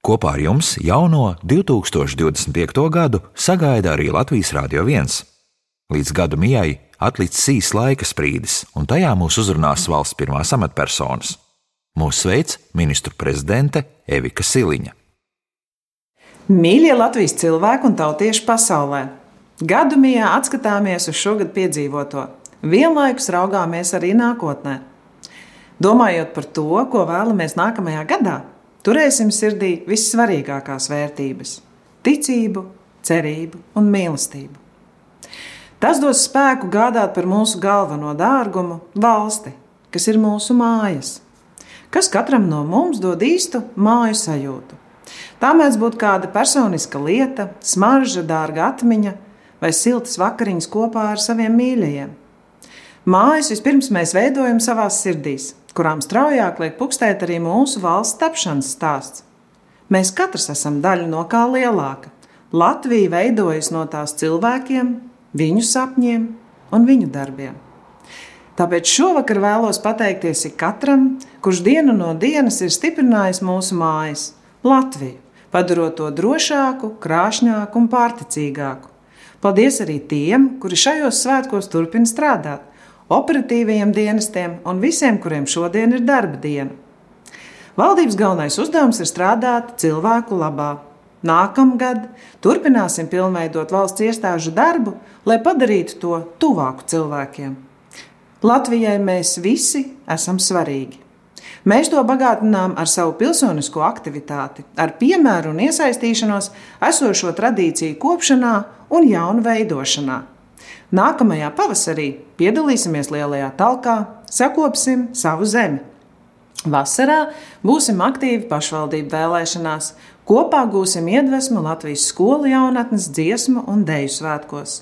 Kopā ar jums jauno 2025. gadu sagaida arī Latvijas Rādio 1. Līdz gada mijai atlicis īss laika sprīdis, un tajā mūs uzrunās valsts pirmās amatpersonas. Mūs sveic ministru prezidente Evika Siliņa. Mīļie Latvijas cilvēki un tautieši pasaulē! Gadu mijā atskatāmies uz šogad piedzīvoto, vienlaikus raugāmies arī nākotnē. Domājot par to, ko vēlamies nākamajā gadā, turēsim sirdī vissvarīgākās vērtības – ticību, cerību un mīlestību. Tas dos spēku gādāt par mūsu galveno dārgumu – valsti, kas ir mūsu mājas, kas katram no mums dod īstu māju sajūtu. Tā mēdz būt kāda personiska lieta, smarža, dārga atmiņa vai siltas vakariņas kopā ar saviem mīļajiem. Mājas vispirms mēs veidojam savās sirdīs, kurām straujāk liek pukstēt arī mūsu valsts tapšanas stāsts. Mēs katrs esam daļa no kā lielāka. Latvija veidojas no tās cilvēkiem, viņu sapņiem un viņu darbiem. Tāpēc šovakar vēlos pateikties ikatram, kurš dienu no dienas ir stiprinājis mūsu mājas, Latviju, padarot to drošāku, krāšņāku un pārticīgāku. Paldies arī tiem, kuri šajos svētkos turpina strādāt, operatīvajiem dienestiem un visiem, kuriem šodien ir darba diena. Valdības galvenais uzdevums ir strādāt cilvēku labā. Nākamgad turpināsim pilnveidot valsts iestāžu darbu, lai padarītu to tuvāku cilvēkiem. Latvijai mēs visi esam svarīgi. Mēs to bagātinām ar savu pilsonisko aktivitāti, ar piemēru un iesaistīšanos esošo tradīciju kopšanā un jaunu veidošanā. Nākamajā pavasarī piedalīsimies lielajā talkā, sakopsim savu zemi. Vasarā būsim aktīvi pašvaldību vēlēšanās, kopā gūsim iedvesmu Latvijas skolu jaunatnes dziesmu un deju svētkos.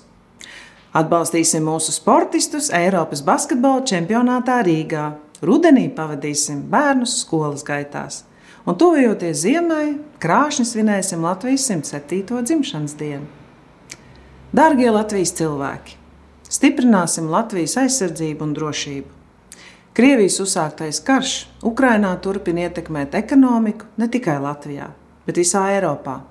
Atbalstīsim mūsu sportistus Eiropas basketbola čempionātā Rīgā. Rudenī pavadīsim bērnus skolas gaitās. Un tuvojoties ziemai, krāšņi svinēsim Latvijas 107. dzimšanas dienu. Dārgie Latvijas cilvēki, stiprināsim Latvijas aizsardzību un drošību. Krievijas uzsāktais karš Ukrainā turpina ietekmēt ekonomiku ne tikai Latvijā, bet visā Eiropā.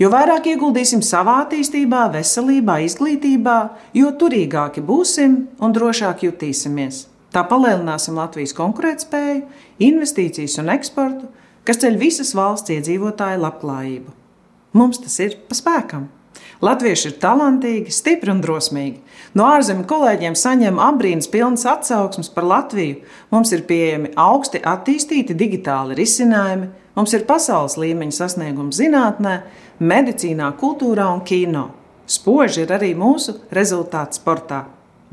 Jo vairāk ieguldīsim savā attīstībā, veselībā, izglītībā, jo turīgāki būsim un drošāk jutīsimies. Tā palielināsim Latvijas konkurētspēju, investīcijas un eksportu, kas ceļ visas valsts iedzīvotāju labklājību. Mums tas ir pa spēkam. Latvieši ir talantīgi, stipri un drosmīgi. No ārzemju kolēģiem saņem apbrīnas pilnas atsauksmes par Latviju. Mums ir pieejami augsti attīstīti digitāli risinājumi, mums ir pasaules līmeņa sasniegumi zinātnē, medicīnā, kultūrā un kino. Spoži ir arī mūsu rezultāti sportā.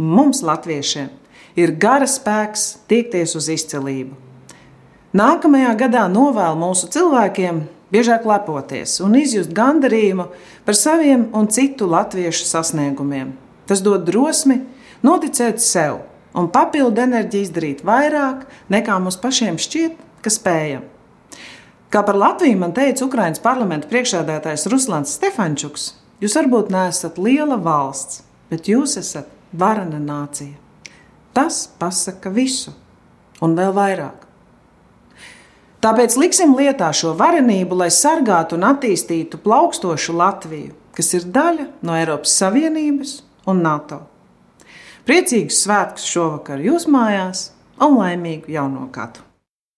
Mums, latviešiem, ir gara spēks tiekties uz izcilību. Nākamajā gadā novēlu mūsu cilvēkiem biežāk lepoties un izjust gandarījumu par saviem un citu latviešu sasniegumiem. Tas dod drosmi noticēt sev un papildu enerģiju izdarīt vairāk, nekā mums pašiem šķiet, ka spējam. Kā par Latviju man teica Ukrainas parlamenta priekšsēdētājs Ruslans Stefančuks, jūs varbūt neesat liela valsts, bet jūs esat varena nācija. Tas pasaka visu un vēl vairāk. Tāpēc liksim lietā šo varenību, lai sargātu un attīstītu plaukstošu Latviju, kas ir daļa no Eiropas Savienības un NATO. Priecīgus svētkus šovakar jūs mājās un laimīgu jauno gadu!